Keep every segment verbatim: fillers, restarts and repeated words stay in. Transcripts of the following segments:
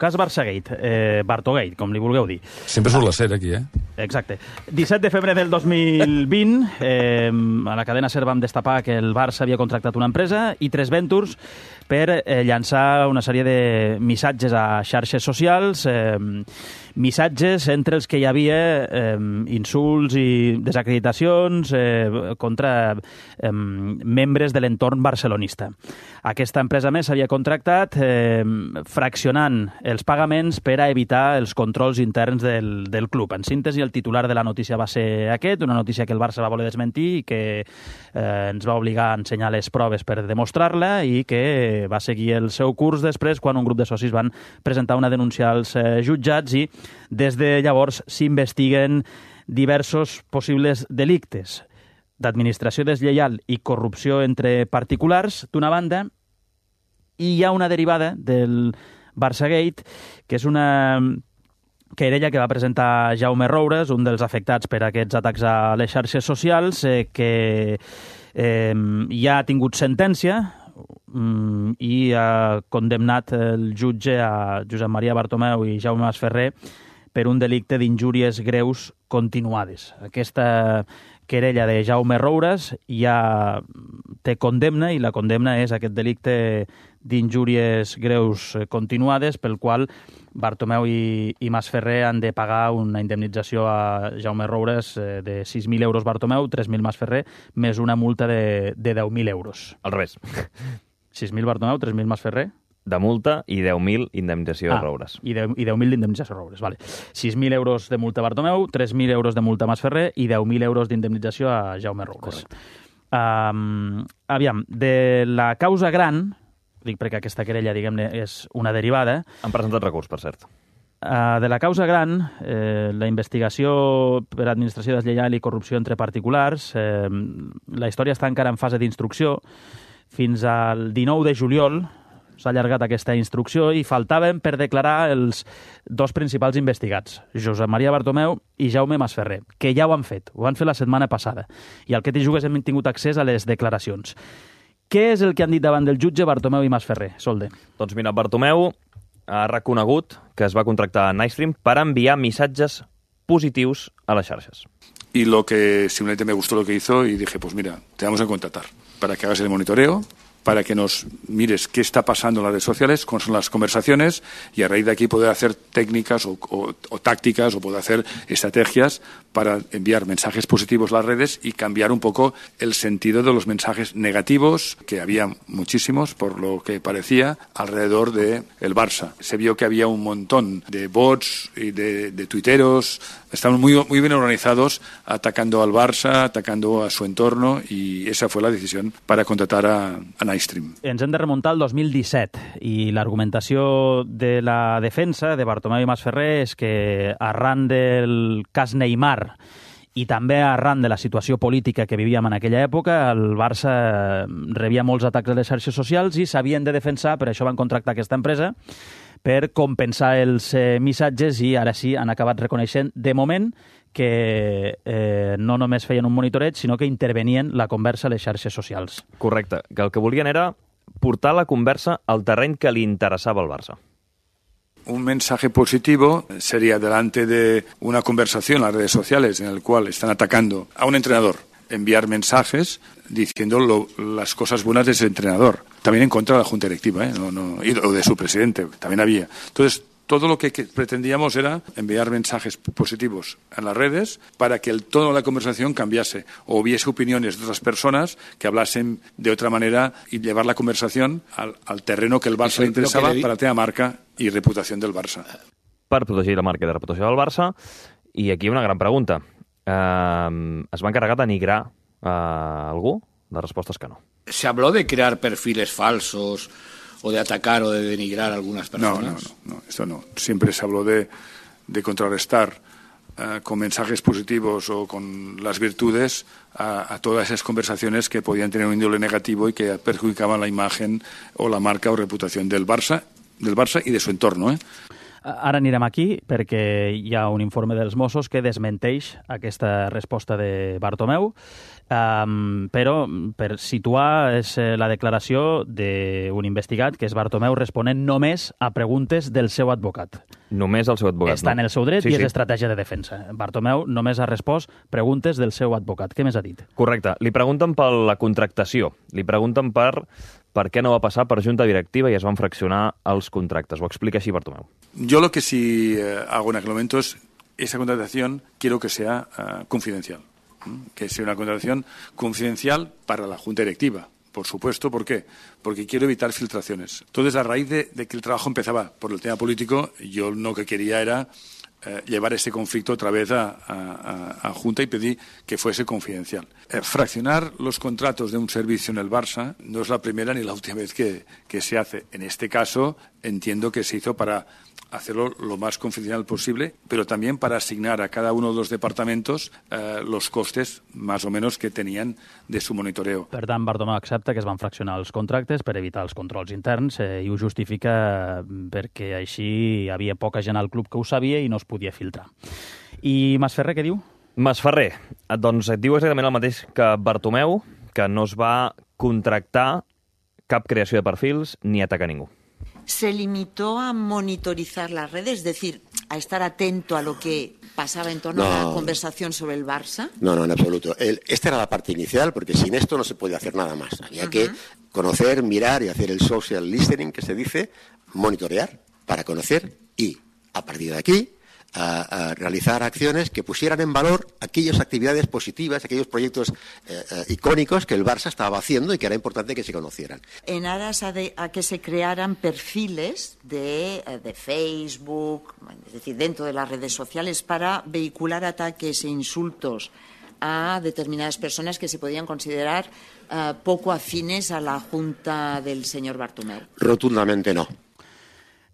cas Barçagate, eh, Bartogate, com li vulgueu dir. Sempre surt la ser aquí, eh? Exacte. disset de febrer del dos mil vint, eh, a la cadena SER vam destapar que el Barça havia contractat una empresa, i tres Ventures, per eh, llançar una sèrie de missatges a xarxes socials, eh, missatges entre els que hi havia eh, insults i desacreditacions eh, contra eh, membres de l'entorn barcelonista. Aquesta empresa més s'havia contractat eh, fraccionant els pagaments per a evitar els controls interns del, del club. En síntesi, el titular de la notícia va ser aquest, una notícia que el Barça va voler desmentir i que eh, ens va obligar a ensenyar les proves per demostrar-la, i que va seguir el seu curs després quan un grup de socis van presentar una denúncia als eh, jutjats, i des de llavors s'investiguen diversos possibles delictes d'administració deslleial i corrupció entre particulars, d'una banda, i hi ha una derivada del Barçagate, que és una querella que va presentar Jaume Roures, un dels afectats per aquests atacs a les xarxes socials, eh, que eh, ja ha tingut sentència mm, i ha condemnat el jutge a Josep Maria Bartomeu i Jaume Masferrer per un delicte d'injúries greus continuades. Aquesta querella de Jaume Roures ja té condemna, i la condemna és aquest delicte d'injúries greus continuades, pel qual Bartomeu i, i Masferrer han de pagar una indemnització a Jaume Roures de sis mil euros Bartomeu, tres mil Masferrer, més una multa de, de deu mil euros. Al revés. sis mil Bartomeu, tres mil Masferrer? De multa i deu mil indemnització ah, a Roures. I deu mil d'indemnització a Roures, vale. sis mil euros de multa a Bartomeu, tres mil euros de multa a Masferrer i deu mil euros d'indemnització a Jaume Roures. Um, aviam, de la causa gran, dic perquè aquesta querella, diguem-ne, és una derivada... Han presentat recurs, per cert. Uh, de la causa gran, eh, la investigació per administració deslleial i corrupció entre particulars, eh, la història està encara en fase d'instrucció. Fins al dinou de juliol s'ha allargat aquesta instrucció i faltaven per declarar els dos principals investigats, Josep Maria Bartomeu i Jaume Masferrer, que ja ho han fet, ho han fet la setmana passada. I al que t'hi jugues hem tingut accés a les declaracions. Què és el que han dit davant del jutge Bartomeu i Masferrer, Solde? Doncs mira, Bartomeu ha reconegut que es va contractar a Nightstream per enviar missatges positius a les xarxes. Y lo que simplemente me gustó lo que hizo y dije, pues mira, te vamos a contratar para que hagas el monitoreo, para que nos mires qué está pasando en las redes sociales, cuáles son las conversaciones, y a raíz de aquí poder hacer técnicas o, o, o tácticas o poder hacer estrategias para enviar mensajes positivos a las redes y cambiar un poco el sentido de los mensajes negativos, que había muchísimos, por lo que parecía, alrededor de el Barça. Se vio que había un montón de bots y de, de tuiteros, estaban muy, muy bien organizados, atacando al Barça, atacando a su entorno, y esa fue la decisión para contratar a, a Nightstream. Ens hem de remuntar al dos mil disset, i l'argumentació de la defensa de Bartomeu i Masferrer és que arran del cas Neymar i també arran de la situació política que vivíem en aquella època, el Barça rebia molts atacs a les xarxes socials i s'havien de defensar, per això van contractar aquesta empresa, per compensar els eh, missatges, i ara sí han acabat reconeixent, de moment, que eh, no només feien un monitoreig, sinó que intervenien la conversa a les xarxes socials. Correcte, que el que volien era portar la conversa al terreny que li interessava al Barça. Un mensaje positivo sería delante de una conversación en las redes sociales en el cual están atacando a un entrenador, enviar mensajes diciendo lo, las cosas buenas de ese entrenador. También en contra de la Junta Directiva, ¿eh? no, no, o de su presidente, también había. Entonces, todo lo que, que pretendíamos era enviar mensajes positivos en las redes para que el tono de la conversación cambiase, o hubiese opiniones de otras personas que hablasen de otra manera y llevar la conversación al, al terreno que el Barça le interesaba para tener marca y reputación del Barça. Per protegir la marca i la reputació del Barça. I aquí una gran pregunta. Eh, ¿es va encarregar de denigrar a algú? La resposta és que no. ¿Se habló de crear perfiles falsos o de atacar o de denigrar a algunas personas? No, no, no, no, esto no. Siempre se habló de, de contrarrestar uh, con mensajes positivos o con las virtudes a, a todas esas conversaciones que podían tener un índole negativo y que perjudicaban la imagen o la marca o reputación del Barça, del Barça y de su entorno, ¿eh? Ara anirem aquí perquè hi ha un informe dels Mossos que desmenteix aquesta resposta de Bartomeu. Um, però per situar és eh, la declaració d'un investigat que és Bartomeu responent només a preguntes del seu advocat. Només el seu advocat. Està no? en el seu dret sí, i és sí. estratègia de defensa. Bartomeu només ha respost preguntes del seu advocat. Què més ha dit? Correcte. Li pregunten per la contractació. Li pregunten per per què no va passar per junta directiva i es van fraccionar els contractes. Ho explica així Bartomeu. Yo lo que sí eh, hago en aquel momento es esa contratación quiero que sea uh, confidencial. Que sea una contratación confidencial para la Junta Directiva, por supuesto. ¿Por qué? Porque quiero evitar filtraciones. Entonces, a raíz de, de que el trabajo empezaba por el tema político, yo lo que quería era eh, llevar ese conflicto otra vez a, a, a Junta y pedí que fuese confidencial. Eh, fraccionar los contratos de un servicio en el Barça no es la primera ni la última vez que, que se hace. En este caso, entiendo que se hizo para hacerlo lo más confidencial posible, pero también para asignar a cada uno de los departamentos eh, los costes más o menos que tenían de su monitoreo. Per tant, Bartomeu accepta que es van fraccionar els contractes per evitar els controls interns eh, i ho justifica perquè així hi havia poca gent al club que ho sabia i no es podia filtrar. I Masferrer què diu? Masferrer, doncs et diu exactament el mateix que Bartomeu, que no es va contractar cap creació de perfils ni atacar ningú. Se limitó a monitorizar las redes, es decir, a estar atento a lo que pasaba en torno no, a la conversación sobre el Barça. No, no, en absoluto. El, esta era la parte inicial, porque sin esto no se podía hacer nada más. Había uh-huh. que conocer, mirar y hacer el social listening, que se dice, monitorear para conocer y, a partir de aquí, a, a realizar acciones que pusieran en valor aquellas actividades positivas, aquellos proyectos eh, eh, icónicos que el Barça estaba haciendo y que era importante que se conocieran. En aras a, de, a que se crearan perfiles de, de Facebook, es decir, dentro de las redes sociales, para vehicular ataques e insultos a determinadas personas que se podían considerar uh, poco afines a la junta del señor Bartomeu. Rotundamente no.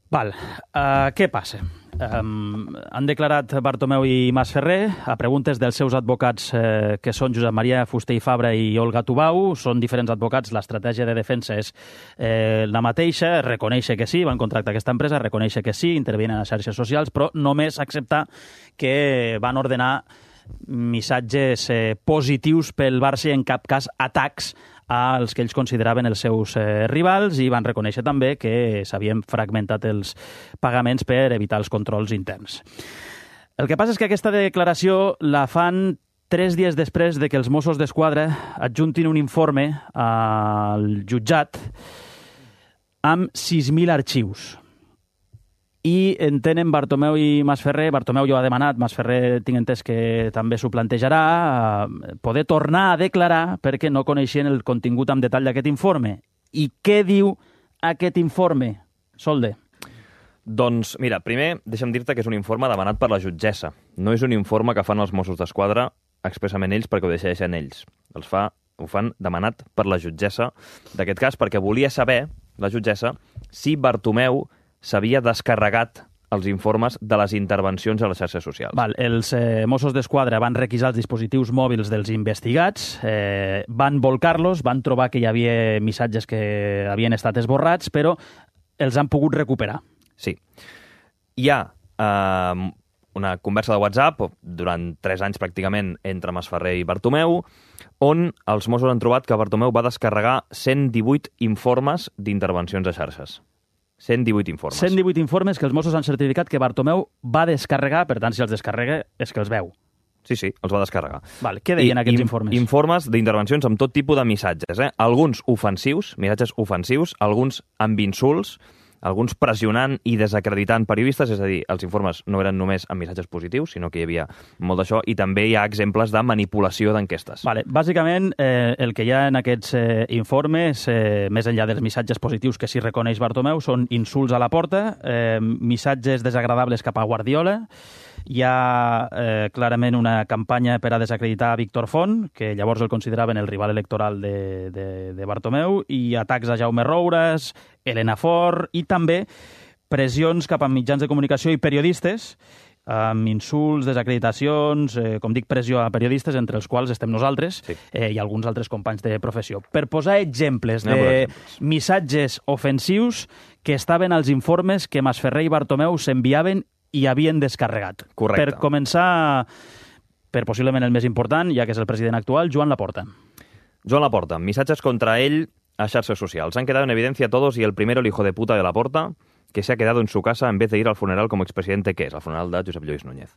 Val, uh, què passa? Um, han declarat Bartomeu i Masferrer a preguntes dels seus advocats eh, que són Josep Maria Fuster i Fabra i Olga Tubau. Són diferents advocats, l'estratègia de defensa és eh, la mateixa, reconèixer que sí, van contractar aquesta empresa, reconèixer que sí, intervenen a les xarxes socials, però només acceptar que van ordenar missatges eh, positius pel Barça i en cap cas atacs als que ells consideraven els seus eh, rivals i van reconèixer també que s'havien fragmentat els pagaments per evitar els controls interns. El que passa és que aquesta declaració la fan tres dies després de que els Mossos d'Esquadra adjuntin un informe al jutjat amb sis mil arxius. I en tenen Bartomeu i Masferrer, Bartomeu ja ho ha demanat, Masferrer tinc entès que també s'ho plantejarà, poder tornar a declarar perquè no coneixien el contingut en detall d'aquest informe. I què diu aquest informe, Solde? Doncs, mira, primer deixa'm dir-te que és un informe demanat per la jutgessa. No és un informe que fan els Mossos d'Esquadra expressament ells perquè ho decideixen ells. Els fa, ho fan demanat per la jutgessa d'aquest cas perquè volia saber, la jutgessa, si Bartomeu s'havia descarregat els informes de les intervencions a les xarxes socials. Val, els eh, Mossos d'Esquadra van requisar els dispositius mòbils dels investigats, eh, van volcar-los, van trobar que hi havia missatges que havien estat esborrats, però els han pogut recuperar. Sí. Hi ha eh, una conversa de WhatsApp durant tres anys pràcticament entre Masferrer i Bartomeu, on els Mossos han trobat que Bartomeu va descarregar cent divuit informes d'intervencions a xarxes. cent divuit informes. cent divuit informes que els Mossos han certificat que Bartomeu va descarregar, per tant, si els descarrega, és que els veu. Sí, sí, els va descarregar. Vale, què deien I, aquests in, informes? Informes d'intervencions amb tot tipus de missatges. Eh? Alguns ofensius, missatges ofensius, alguns amb insults, alguns pressionant i desacreditant periodistes, és a dir, els informes no eren només amb missatges positius, sinó que hi havia molt d'això, i també hi ha exemples de manipulació d'enquestes. Vale. Bàsicament, eh, el que hi ha en aquests eh, informes, eh, més enllà dels missatges positius que s'hi reconeix Bartomeu, són insults a la porta, eh, missatges desagradables cap a Guardiola, hi ha eh, clarament una campanya per a desacreditar Víctor Font, que llavors el consideraven el rival electoral de, de, de Bartomeu, i atacs a Jaume Roures, Elena Fort, i també pressions cap a mitjans de comunicació i periodistes, amb insults, desacreditacions, eh, com dic, pressió a periodistes, entre els quals estem nosaltres, sí. eh, i alguns altres companys de professió. Per posar exemples de exemples. missatges ofensius que estaven als informes que Masferrer i Bartomeu s'enviaven i havien descarregat. Correcte. Per començar per possiblement el més important, ja que és el president actual, Joan Laporta. Joan Laporta, missatges contra ell a xarxes socials. Han quedado en evidencia todos y el primero, el hijo de puta de Laporta, que se ha quedado en su casa en vez de ir al funeral como expresidente que és, el funeral de Josep Lluís Núñez.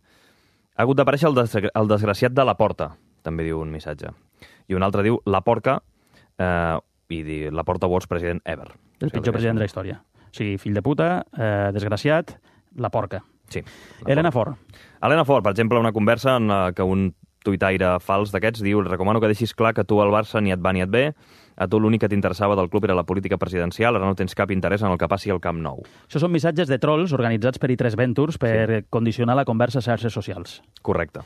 Ha hagut d'aparèixer el, des el desgraciat de Laporta, també diu un missatge. I un altre diu la porca, eh, i di, Laporta vols president ever. El o sigui, pitjor president de la història. O sigui, fill de puta, eh, desgraciat, la porca. Sí. Elena Fort. Elena Fort, per exemple, una conversa en la que un tuitaire fals d'aquests diu recomano que deixis clar que tu al Barça ni et va ni et ve, a tu l'únic que t'interessava del club era la política presidencial, ara no tens cap interès en el que passi al Camp Nou. Això són missatges de trolls organitzats per i tres Ventures per sí. condicionar la conversa a xarxes socials. Correcte.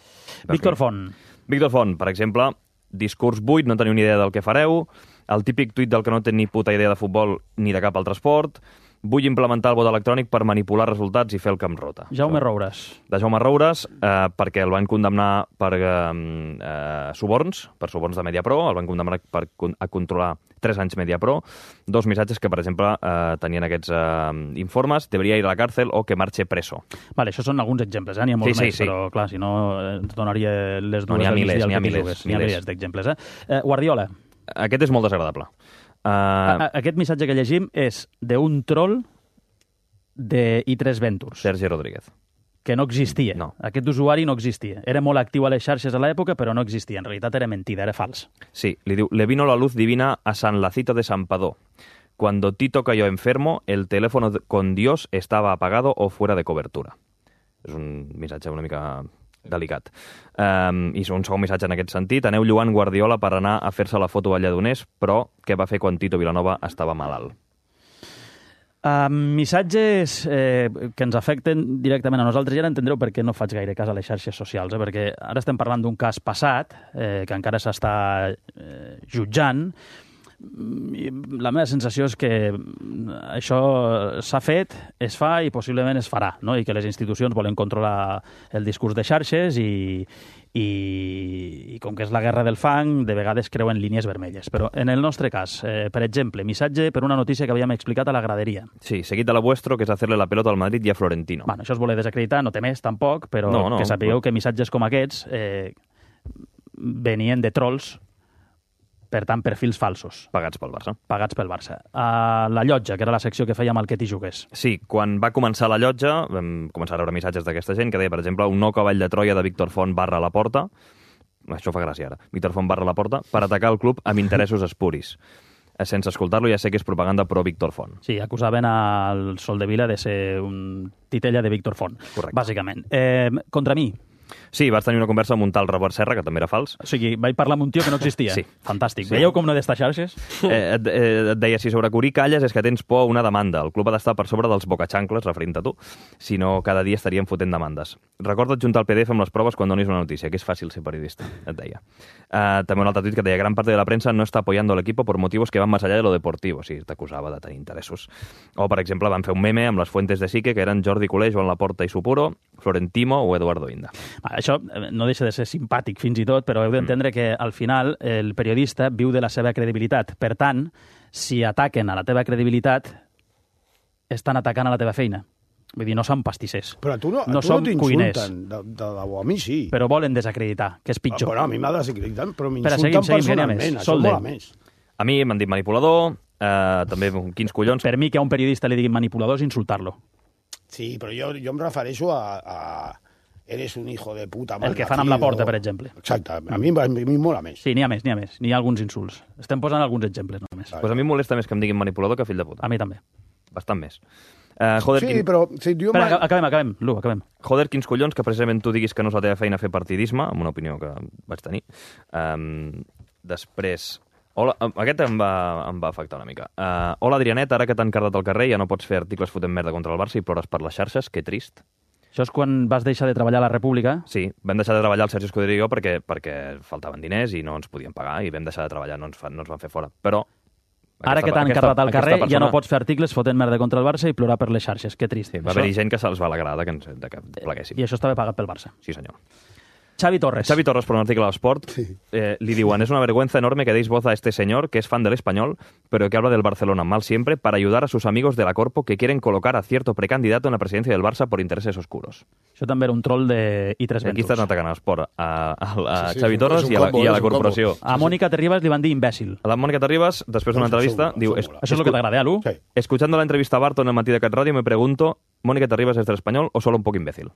Víctor Font. Víctor Font, per exemple, discurs buit, no teniu ni idea del que fareu, el típic tuit del que no té ni puta idea de futbol ni de cap altre esport, vull implementar el vot electrònic per manipular resultats i fer el camp rota. Jaume Roures. De Jaume Roures, eh, perquè el van condemnar per eh, eh, suborns, per suborns de Mediapro, el van condemnar per a controlar tres anys Mediapro, dos missatges que, per exemple, eh, tenien aquests eh, informes, deberia ir a la càrcel o que marxe preso. Vale, això són alguns exemples, eh? N'hi ha molts sí, més, sí, sí. però clar, si no, ens donaria les dues no, n'hi ha milers, n'hi ha que milers, N'hi ha milers d'exemples, eh? eh? Guardiola. Aquest és molt desagradable. Uh, Aquest missatge que llegim és d'un troll de i tres Ventures. Sergi Rodríguez. Que no existia. No. Aquest usuari no existia. Era molt actiu a les xarxes a l'època, però no existia. En realitat era mentida, era fals. Sí, li diu, le vino la luz divina a San Lacito de San Padó. Cuando Tito cayó enfermo, el teléfono con Dios estaba apagado o fuera de cobertura. És un missatge una mica delicat. Um, I un segon missatge en aquest sentit. Aneu lloant Guardiola per anar a fer-se la foto a Lledoners, però què va fer quan Tito Vilanova estava malalt? Uh, missatges eh, que ens afecten directament a nosaltres. Ja entendreu per què no faig gaire cas a les xarxes socials, eh? Perquè ara estem parlant d'un cas passat, eh, que encara s'està eh, jutjant. La meva sensació és que això s'ha fet, es fa i possiblement es farà, no? I que les institucions volen controlar el discurs de xarxes i, i, i com que és la guerra del fang, de vegades creuen línies vermelles. Però en el nostre cas, eh, per exemple, missatge per una notícia que havíem explicat a la graderia. Sí, seguit de la vuestro, que és hacerle la pelota al Madrid i a Florentino. Bueno, això es voler desacreditar, no té més tampoc, però no, no, que sapigueu no. que missatges com aquests eh, venien de trolls, per tant, perfils falsos. Pagats pel Barça. Pagats pel Barça. A la llotja, que era la secció que fèiem al Que t'hi jugués. Sí, quan va començar la llotja, vam començar a rebre missatges d'aquesta gent que deia, per exemple, un nou cavall de Troia de Víctor Font barra la porta, això fa gràcia ara, Víctor Font barra la porta, per atacar el club amb interessos espuris. Sense escoltar-lo ja sé que és propaganda pro Víctor Font. Sí, acusaven al Soldevila de ser un titella de Víctor Font, correcte. Bàsicament. Eh, contra mi. Sí, vas tenir una conversa amb un tal Robert Serra, que també era fals. O sigui, vaig parlar amb un tio que no existia. Sí. Fantàstic. Sí. Veieu com no he d'estar xarxes? Eh, et, eh, et deia, si sobre Curí calles és que tens por a una demanda. El club ha d'estar per sobre dels bocaxancles, referint a tu. Si no, cada dia estaríem fotent demandes. Recorda't juntar el P D F amb les proves quan donis una notícia, que és fàcil ser periodista, et deia. Eh, també un altre tuit que deia, gran parte de la prensa no està apoyando al equipo por motivos que van más allá de lo deportivo. O sigui, t'acusava de tenir interessos. O, per exemple, van fer un meme amb les fuentes de Sique, que eren Jordi Culé, Joan Laporta i Supuro, Florentino o Eduardo Inda. Ah, això no deixa de ser simpàtic fins i tot, però heu d'entendre mm. que al final el periodista viu de la seva credibilitat. Per tant, si ataquen a la teva credibilitat, estan atacant a la teva feina. Vull dir, no som pastissers. Però a tu no, a no tu no som t'insulten, de, de debò, a mi sí. Però volen desacreditar, que és pitjor. Però a mi m'ha desacreditat, però Espera, m'insulten seguim, seguim, personalment, això mola més. A mi m'han dit manipulador, eh, també quins collons... Per mi que a un periodista li diguin manipulador és insultar-lo. Sí, però jo, jo em refereixo a, a... Eres un hijo de puta. El que fan amb la porta, per exemple. Exacte, a mi, a mi mola més. Sí, n'hi ha més, n'hi ha més. N'hi ha alguns insults. Estem posant alguns exemples només. Doncs pues a mi em molesta més que em diguin manipulador que fill de puta. A mi també. Bastant més. Uh, joder, sí, quin... però... Sí, jo Espera, acabem, acabem, Lu, acabem. Joder, quins collons que precisament tu diguis que no és la teva feina fer partidisme, amb una opinió que vaig tenir. Um, després... Hola, aquest em va, em va afectar una mica. Uh, hola, Adrianet, ara que t'han cardat al carrer ja no pots fer articles fotent merda contra el Barça i plores per les xarxes, que trist. Això és quan vas deixar de treballar a la República? Sí, vam deixar de treballar el Sergi Escudero i jo perquè, perquè faltaven diners i no ens podien pagar i vam deixar de treballar, no ens, fa, no ens van fer fora. Però... Ara aquesta, que t'han aquesta, cardat al carrer persona... ja no pots fer articles fotent merda contra el Barça i plorar per les xarxes. Que trist. Sí, va això... haver-hi gent que se'ls va alegrar de que, ens, de que pleguéssim. I això estava pagat pel Barça. Sí, senyor. Xavi Torres. Xavi Torres, por un artículo de Sport, eh, le diuen, es una vergüenza enorme que deis voz a este señor que es fan del Español, pero que habla del Barcelona mal siempre para ayudar a sus amigos de la Corpo que quieren colocar a cierto precandidato en la presidencia del Barça por intereses oscuros. Això també era un troll de i tres Aquí Ventures. estan atacant a l'Esport, a, a, a Sí, sí, Xavi és un- Torres és un i a la, combo, i a la és un combo. corporació. A Mònica Terribas li van dir imbècil. A la Mònica Terribas, després d'una Això entrevista, segur, diu... això "Es- mola. Això és el que t'agrada, Alu? Sí. Escuchando la entrevista a Barto en el matí de Cat Radio, me pregunto, ¿Mónica Terribas es del Español o solo un poco imbécil?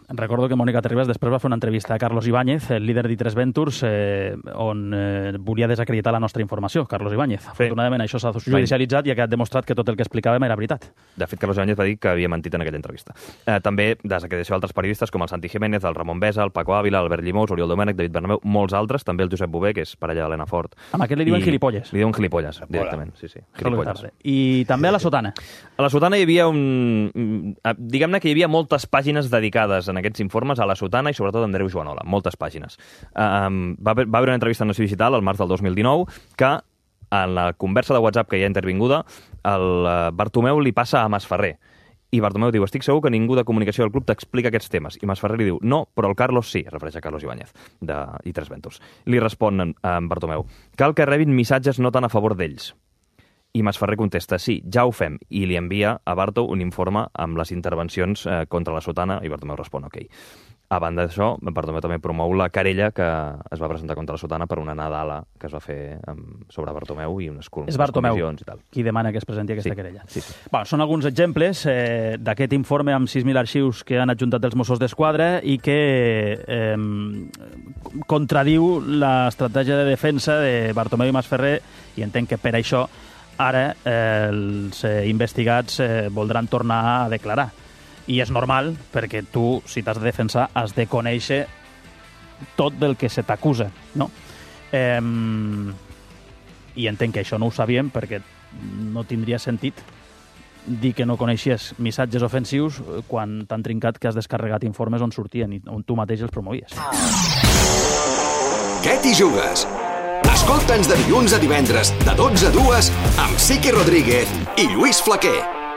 Recordo que Mònica Terribas després va fer una entrevista a Carlos Ibáñez, el líder d'I tres Ventures, eh, on eh, volia desacreditar la nostra informació, Carlos Ibáñez. Afortunadament això s'ha judicialitzat i ha quedat demostrat que tot el que explicàvem era veritat. De fet, Carlos Ibáñez va dir que havia mentit en aquella entrevista. Eh, també desacreditació d'altres periodistes com el Santi Jiménez, el Ramon Besa, el Paco Ávila, Albert Llimós, Oriol Domènech, David Bernabéu, molts altres, també el Josep Bové, que és parella d'Helena Fort. Amb aquest li diuen I gilipolles. Li diuen gilipolles, directament. Sí, sí, gilipolles. I també a la sotana. A la Sotana hi havia un... Diguem-ne que hi havia moltes pàgines dedicades en aquests informes a la Sotana i sobretot a Andreu Joanola, moltes pàgines. Um, va, haver, va haver una entrevista en Nació Digital al març del dos mil dinou que en la conversa de WhatsApp que hi ha intervinguda el uh, Bartomeu li passa a Masferrer i Bartomeu diu, estic segur que ningú de comunicació del club t'explica aquests temes. I Masferrer li diu, no, però el Carlos sí, es refereix a Carlos Ibáñez, de I tres Ventures. Li respon en, en Bartomeu, cal que rebin missatges no tan a favor d'ells. I Masferrer contesta, sí, ja ho fem, i li envia a Barto un informe amb les intervencions eh, contra la Sotana, i Bartomeu respon, ok. A banda d'això, Bartomeu també promou la querella que es va presentar contra la Sotana per una nadala que es va fer um, sobre Bartomeu i unes, unes És Bartomeu comissions i tal. qui demana que es presenti aquesta Sí, querella. sí, sí. Bueno, són alguns exemples eh, d'aquest informe amb sis mil arxius que han adjuntat els Mossos d'Esquadra i que eh, contradiu l'estratègia de defensa de Bartomeu i Masferrer i entenc que per això ara eh, els eh, investigats eh, voldran tornar a declarar. I és normal, perquè tu, si t'has de defensar, has de conèixer tot del que se t'acusa, no? Eh, I entenc que això no ho sabíem, perquè no tindria sentit dir que no coneixies missatges ofensius quan t'han trincat que has descarregat informes on sortien i on tu mateix els promovies. Què t'hi jugues? Escolta'ns de dilluns a divendres, de dotze a dues, amb Siqui Rodríguez i Lluís Flaquer.